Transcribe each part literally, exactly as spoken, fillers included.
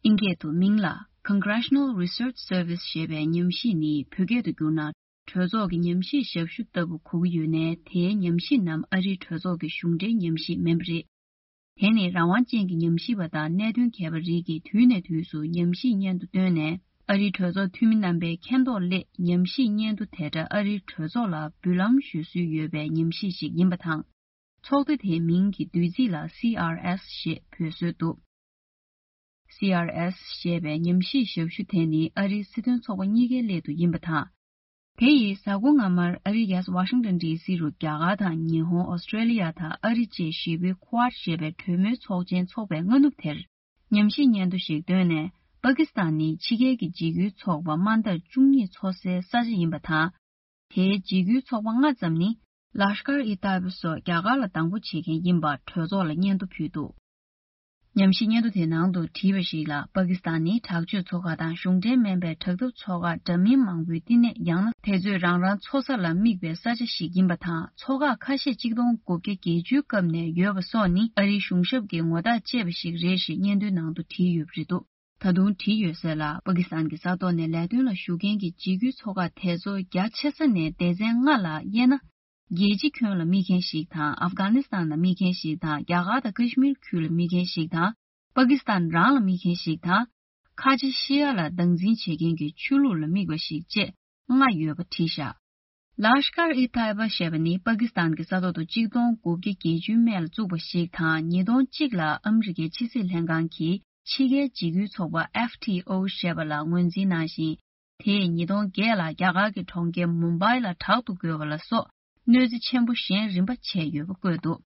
ཨིན་སྐད་དུ་མིང་ལ་Congressional Research Service ཞེས་པའི་ཉམས་ཞིབ་ནི། བོད་སྐད་དུ་བསྒྱུར་ན། གྲོས་ཚོགས་ཀྱི་ཉམས་ཞིབ་ཞབས་ཞུ་ལྟ་བུ་གོ་གི་ཡོད་ནའི། དེའི་ཉམས་ཞིབ་རྣམས་ཨ་རིའི་གྲོས་ཚོགས་ཀྱི་གཞུང་འབྲེལ་ཉམས་ཞིབ་མིན་པ་རེད། དེ་ནི་རང་དབང་ཅན་གྱི་ཉམས་ཞིབ་པ་དང་གནད་དོན་མཁས་པ་རིགས་ཀྱིས་དུས་ནས་དུས་སུ་ཉམས་ཞིབ་སྙན་ཐོ་བཏོན་ནས། ཨ་རིའི་གྲོས་ཚོགས་འཐུས་མི་རྣམ་པའི་མཁྱེན་རྟོགས་སླད་ཉམས་ཞིབ་སྙན་ཐོ་དེ་འདྲ་ཨ་རིའི་གྲོས་ཚོགས་ལ་འབུལ་ལམ་ཞུ་སྲོལ་ཡོད་པའི་ཉམས་ཞིབ་ཞིག་ཡིན་པ་དང་། ཚོགས་སྡེ་དེའི་མིང་གི་བསྡུས་ཚིག་ལ་སི་ཨར་ཨེས་ཞེས་འབོད་སྲོལ་འདུག་སི་ཨར་ཨེས་ཞེས་པའི་ཉམས་ཞིབ་ཞབས་ཞུ་དེ་ནི་ཨ་རིའི་སྲིད་དོན་ཚོགས་པ་གཉིས་ཀའི་སླད་དུ་ཡིན་པ་དང་། དེ་ཡིས་གཟའ་འཁོར་སྔ་མར་ཨ་རིའི་རྒྱལ་ས་ཝ་ཤིང་ཏོན་ཌི་སི་རུ་རྒྱ་གར་དང་ཉི་ཧོང་། ཨོ་སི་ཀྲེ་ལི་ཡ་དང་ཨ་རི་བཅས་བཞི་པོའི་ཀུ་ཨཌ་ཞེས་པའི་གྲོས་མོལ་ཚོགས་ཆེན་འཚོགས་པའི་སྔ་ནུབ་དེར། ཉམས་ཞིབ་སྙན་ཐོ་ཞིག་བཏོན་ནས། པ་ཀི་སི་ཐན་ནི་ཕྱི་རྒྱལ་གྱི་འཇིགས་སྐུལ་ཚོགས་པ་དམའ་མཐར་བཅུ་གཉིས་འཚོ་སའི་ས་ཆ་ཡིན་པ་དང་། དེའི་འཇིགས་སྐུལ་ཚོགས་པ་ལྔ་ཙམ་ནི། ལཱ་ཤ་ཀར་ཨི་ཏཱ་ཡིབ་སོགས་རྒྱ་གར་ལ་སྡང་པོ་བྱེད་མཁན་ཡིན་པ་གྲོས་ཚོགས་ལ་སྙན་ཐོ་ཕུལ་འདུག་ཉམས་ཞིབ་སྙན་ཐོ་དེའི་ནང་དུ་བྲིས་པ་ཞིག་ལ། པ་ཀི་སི་ཐན་ནི་དྲག་སྤྱོད་ཚོགས་ཁག་དང་གཞུང་འབྲེལ་མིན་པའི་དྲག་འཐབ་ཚོགས་ཁག་འདྲ་མིན་མང་པོའི་བསྟི་གནས། ཡང་ན་དེ་ཚོས་རང་རང་འཚོ་ས་ལ་དམིགས་པའི་ས་ཆ་ཞིག་ཡིན་པ་དང་། ཚོགས་ཁག་ཁ་ཤས་གཅིག་སྟོང་དགུ་བརྒྱ་བརྒྱད་ཅུའི་སྐབས་ནས་ཡོད་པ་སོགས་ནི་ཨ་རིའི་གཞུང་ཞབས་ཀྱི་ངོ་རྟགས་བཅད་པ་ཞིག་རེད་ཞེས་སྙན་ཐོའི་ནང་དུ་བྲིས་ཡོད་པ་རེད་འདུག་ད་དུང་བྲིས་ཡོད་གསལ་ལ། པ་ཀི་སི་ཐན་གྱི་ས་ཐོག་ནས་ལས་དོན་ལ་ཞུགས་མཁན་གྱི་འཇིགས་སྐུལ་ཚོགས་ཁག་དེ་ཚོ་རྒྱ་ཆེ་ས་ནས་སྡེ་ཚན་ལྔ་ལ་དབྱེ་ན། རྒྱལ་སྤྱི་ཁྱོན་ལ་དམིགས་མཁན་ཞིག་དང་། ཨབ་གྷ་ནི་སི་ཐན་ལ་དམིགས་མཁན་ཞིག་དང་། རྒྱ་གར་དང་ཀ་ཤི་མིར་ཁུལ་ལ་དམིགས་མཁན་ཞིག་དང་། པ་ཀི་སི་ཐན་རང་ལ་དམིགས་མཁན་ཞིག་དང་། ཁ་ཆེ་ཤི་ཡ་ལ་སྟངས་འཛིན་བྱེད་མཁན་གྱི་ཆོས་ལུགས་ལ་དམིགས་པ་ཞིག་བཅས་ལྔ་ཡོད་པ་བྲིས་བཞག་ལཱ་ཤ་ཀར་ཨི་ཏཱ་ཡིབ་ཞེས་པ་ནི་པ་ཀི་སི་ཐན་གྱི་ས་ཐོག་ཏུ་གཅིག་སྟོང་དགུ་བརྒྱ་བརྒྱད་ཅུའི་སྨད་ལ་བཙུགས་པ་ཞིག་དང་། ཉིས་སྟོང་གཅིག་ལ་ཨ་མི་རི་ཀའི་ཕྱི་སྲིད་ལྷན་ཁང་གིས་ཕྱི་རྒྱལ་འཇིགས་སྐུལ་ཚོགས་པ་ཨེཕ་ཊི་ཨོ་ཞེས་པ་ལ་ངོས་འཛིན་གནང་ཞིང་། དེས་ཉིས་སྟོང་བརྒྱད་ལ་རྒྱ་གར་གྱི་གྲོང་ཁྱེར་མུམ་བྷའི་ལ་དྲག་ཏུ་རྒོལ་བ་ལ་སོགས་གནོད་འཚེ་ཆེན་པོ་གཞན་རིམ་པ་བྱས་ཡོད་པ་བཀོད་འདུག་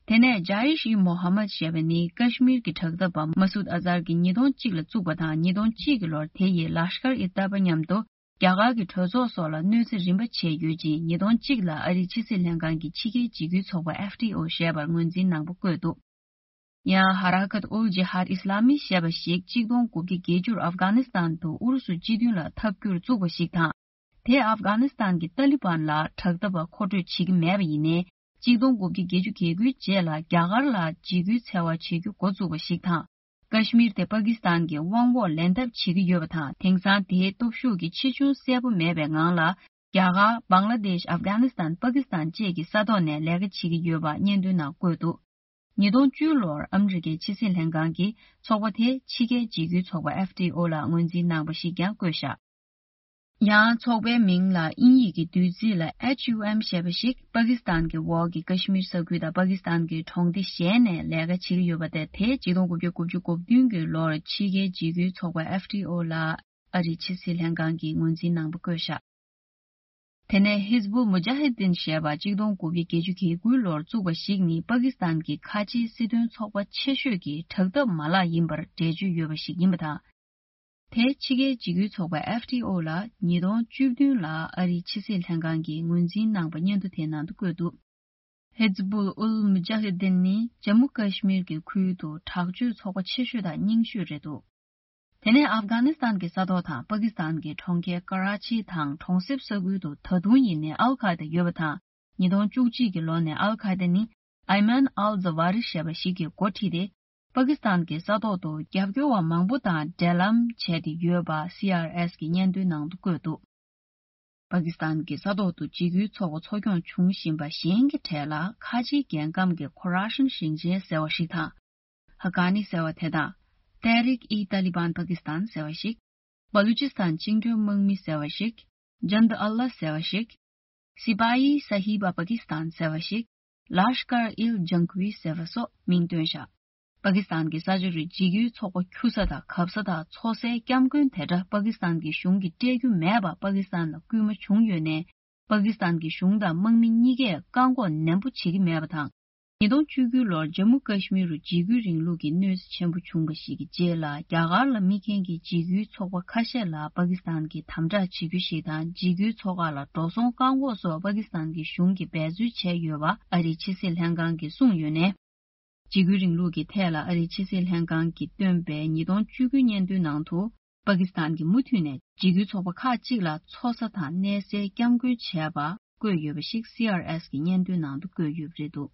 དེ་ནས་ཇཱ་ཡིཤ་ཨི་མོ་ཧ་མད་ཞེས་པ་ནི་ཀ་ཤི་མིར་གྱི་དྲག་འཐབ་པ་མ་སུད་ཨ་ཛར་གྱིས་ཉིས་སྟོང་གཅིག་ལ་བཙུགས་པ་དང་། ཉིས་སྟོང་གཅིག་གི་ལོར་དེ་ཡིས་ལཱ་ཤ་ཀར་ཨི་ཏཱ་ཡིབ་མཉམ་དུ་རྒྱ་གར་གྱི་གྲོས་ཚོགས་སོགས་ལ་གནོད་འཚེ་རིམ་པ་བྱས་ཡོད་ཅིང་། ཉིས་སྟོང་གཅིག་ལ་ཨ་རིའི་ཕྱི་སྲིད་ལྷན་ཁང་གི་ཕྱི་རྒྱལ་འཇིགས་སྐུལ་ཚོགས་པ་ཨེཕ་ཊི་ཨོ་ཞེས་པར་ངོས་འཛིན་གནང་པ་བཀོད་འདུག་ཡང་ཧ་ར་ཀཏ་ཨུལ་ཇི་ཧཱད་ཨི་སི་ལ་མི་ཞེས་པ་ཞིག་གཅིག་སྟོང་དགུ་བརྒྱ་བརྒྱད་ཅུ་ཨབ་གྷ་ནི་སི་ཐན་དུ་ཨུ་རུ་སུ་སྤྱི་མདུན་ལ་འཐབ་རྒྱུར་བཙུགས་པ་ཞིག་དང་། དེས་ཨབ་གྷ་ནི་སི་ཐན་གྱི་ཏཱ་ལི་བན་ལ་དྲག་འཐབ་པ་མཁོ་སྤྲོད་བྱེད་ཀྱི་མེད་པ་ཡིན་ནའི། གཅིག་སྟོང་དགུ་བརྒྱ་བརྒྱད་ཅུ་གྱ་དགུའི་རྗེས་ལ་རྒྱ་གར་ལ་འཇིགས་སྐུལ་འཚེ་བ་བྱེད་རྒྱུ་འགོ་བཙུགས་པ་ཞིག་དང་། ཀ་ཤི་མིར་དེ་པ་ཀི་སི་ཐན་གྱི་དབང་འོག་ལེན་ཐབས་བྱེད་ཀྱི་ཡོད་པ་དང་། དེང་སང་དེའི་སྟོབས་ཤུགས་ཀྱི་ཆེ་ཆུང་གསལ་པོ་མེད་པའི་ངང་ལ། རྒྱ་གར། བང་ལ་དེཤ། ཨབ་གྷ་ནི་སི་ཐན། པ་ཀི་སི་ཐན་བཅས་ཀྱི་ས་ཐོག་ནས་ལས་ཀ་བྱེད་ཀྱི་ཡོད་པ་སྙན་ཐོའི་ནང་བཀོད་འདུག་ཉིས་སྟོང་བཅུ་ལོར་ཨ་མི་རི་ཀའི་ཕྱི་སྲིད་ལྷན་ཁང་གིས་ཚོགས་པ་དེ་ཕྱི་རྒྱལ་འཇིགས་སྐུལ་ཚོགས་པ་ཨེཕ་ཊི་ཨོ་ལ་ངོས་འཛིན་གནང་པ་ཞིག་ཀྱང་བཀོད་བཞག་ཡང་ཚོགས་པའི་མིང་ལ་དབྱིན་ཡིག་གི་བསྡུས་ཚིག་ལ་ཨེཆ་ཡུ་ཨེམ་ཞེས་པ་ཞིག་པ་ཀི་སི་ཐན་གྱི་འོག་གི་ཀ་ཤི་མིར་ས་ཁུལ་དང་པ་ཀི་སི་ཐན་གྱི་གྲོང་སྡེ་གཞན་ནས་ལས་ཀ་བྱེད་ཀྱི་ཡོད་པ་དེ། དེ་གཅིག་སྟོང་དགུ་བརྒྱ་དགུ་བཅུ་གོ་བདུན་གྱི་ལོར་ཕྱི་རྒྱལ་འཇིགས་སྐུལ་ཚོགས་པ་ཨེཕ་ཊི་ཨོ་ལ་ཨ་རིའི་ཕྱི་སྲིད་ལྷན་ཁང་གིས་ངོས་འཛིན་གནང་པ་བཀོད་བཞག་དེ་ནས་ཧིས་བུལ་མུ་ཇཱ་ཧི་དིན་ཞེས་པ་གཅིག་སྟོང་དགུ་བརྒྱ་བརྒྱད་ཅུ་གྱ་དགུའི་ལོར་བཙུགས་པ་ཞིག་ནི་པ་ཀི་སི་ཐན་གྱི་ཁ་ཆེའི་སྲིད་དོན་ཚོགས་པ་ཆེ་ཤོས་ཀྱི་དྲག་འཐབ་མ་ལག་ཡིན་པར་འགྲེལ་བརྗོད་ཡོད་པ་ཞིག་ཡིན་པ་དང་། དེ་ཕྱི་རྒྱལ་འཇིགས་སྐུལ་ཚོགས་པ་ཨེཕ་ཊི་ཨོ་ལ་ཉིས་སྟོང་བཅུ་བདུན་ལ་ཨ་རིའི་ཕྱི་སྲིད་ལྷན་ཁང་གིས་ངོས་འཛིན་གནང་པ་སྙན་ཐོ་དེའི་ནང་དུ་བཀོད་འདུག་ཧིས་བུལ་ཨུལ་མུ་ཇཱ་ཧི་དིན་ནི་ཇམ་མུ་ཀ་ཤི་མིར་གྱི་ཁུལ་དུ་དྲག་སྤྱོད་ཚོགས་པ་ཆེ་ཤོས་དང་རྙིང་ཤོས་རེད་འདུག་དེ་ནས་ཨབ་གྷ་ནི་སི་ཐན་གྱི་ས་ཐོག་དང་པ་ཀི་སི་ཐན་གྱི་གྲོང་ཁྱེར་ཀ་ར་ཆི་དང་གྲོང་གསེབ་ས་ཁུལ་དུ་ད་དུང་ཡིན་ནའི་ཨལ་ཁ་ཡེ་ད་ཡོད་པ་དང་། ཉིས་སྟོང་བཅུ་གཅིག་གི་ལོ་ནས་ཨལ་ཁ་ཡེ་ད་ནི་ཨའི་མན་ཨལ་ཛ་ཝ་རི་ཞེས་པ་ཞིག་གིས་འགོ་ཁྲིད་དེ། པ་ཀི་སི་ཐན་གྱི་ས་ཐོག་ཏུ་རྒྱབ་སྐྱོར་བ་མང་པོ་དང་འབྲེལ་ལམ་བྱས་ཏེ་ཡོད་པ་སི་ཨར་ཨེས་ཀྱི་སྙན་ཐོའི་ནང་དུ་བཀོད་འདུག་པ་ཀི་སི་ཐན་གྱི་ས་ཐོག་ཏུ་འཇིགས་སྐུལ་ཚོགས་པ་འཚོ་སྐྱོང་བྱུང་བཞིན་པ་གཞན་གྱི་གྲས་ལ་ཁ་ཆེའི་རྒྱལ་ཁམས་ཀྱི་ཁོ་ར་ཤན་ཞིང་ཆེན་ཟེར་བ་ཞིག་དང་། ཧ་ཀ་ནི་ཟེར་བ་དེ་དང་། ཏེ་རིག་ཨི་ཏཱ་ལི་བན་པ་ཀི་སི་ཐན་ཟེར་བ་ཞིག་བ་ལུ་ཅི་སི་ཐན་བཅིངས་འགྲོལ་དམག་མི་ཟེར་བ་ཞིག་ཇན་དུ་ཨལ་ལ་ཟེར་བ་ཞིག་སི་པ་ཡི་ས་ཧི་བ་པ་ཀི་སི་ཐན་ཟེར་བ་ཞིག་ལཱ་ཤ་ཀར་ཨིལ་ཇང་ཁུའི་ཟེར་བ་སོགས་མིང་བཏོན་བཞག་པ་ཀི་སི་ཐན་གྱི་ས་ཆ་རུ་འཇིགས་སྐུལ་ཚོགས་པ་ཁྱུ་ས་དང་གབ་ས་དང་འཚོ་སའི་སྐྱབས་མགོན་དེ་འདྲ་པ་ཀི་སི་ཐན་གྱི་གཞུང་གིས་སྤྲད་རྒྱུ་མེད་པ། པ་ཀི་སི་ཐན་ལ་སྐུལ་མ་བྱུང་ཡོད་ནའི། པ་ཀི་སི་ཐན་གྱི་གཞུང་དང་དམག་མི་གཉིས་ཀས་བཀག་འགོག་ནན་པོ་བྱེད་ཀྱི་མེད་པ་དང་། ཉིས་སྟོང་བཅུ་དགུ་ལོར་ཇམ་མུ་ཀ་ཤི་མིར་རུ་འཇིགས་སྐུལ་རིང་ལུགས་ཀྱི་གནོད་འཚེ་ཆེན་པོ་བྱུང་བ་ཞིག་གི་རྗེས་ལ། རྒྱ་གར་ལ་དམིགས་མཁན་གྱི་འཇིགས་སྐུལ་ཚོགས་པ་ཁ་ཤས་ལ་པ་ཀི་སི་ཐན་གྱིས་དམ་དྲག་བྱེད་རྒྱུ་ཞིག་དང་། འཇིགས་སྐུལ་ཚོགས་ཁག་ལ་འགྲོ་སོང་བཀག་འགོག་སོགས་པ་ཀི་སི་ཐན་གྱི་གཞུང་གིས་འབད་རྩོལ་བྱས་ཡོད་པ་ཨ་རིའི་ཕྱི་སྲིད་ལྷན་ཁང་གིས་གསུངས་ཡོད་ནས། འཇིགས་སྐུལ་རིང་ལུགས་ཀྱི་ཐད་ལ་ཨ་རིའི་ཕྱི་སྲིད་ལྷན་ཁང་གིས་བཏོན་པའི་ཉིས་སྟོང་བཅུ་དགུའི་སྙན་ཐོའི་ནང་དུ། པ་ཀི་སི་ཐན་གྱིས་མུ་མཐུད་ནས་འཇིགས་སྐུལ་ཚོགས་པ་ཁག་ཅིག་ལ་འཚོ་ས་དང་གནས་སའི་སྐྱབས་མགོན་བྱས་པ་བཀོད་ཡོད་པ་ཞིག་སི་ཨར་ཨེས་ཀྱི་སྙན་ཐོའི་ནང་དུ་བཀོད་ཡོད་པ་རེད་འདུག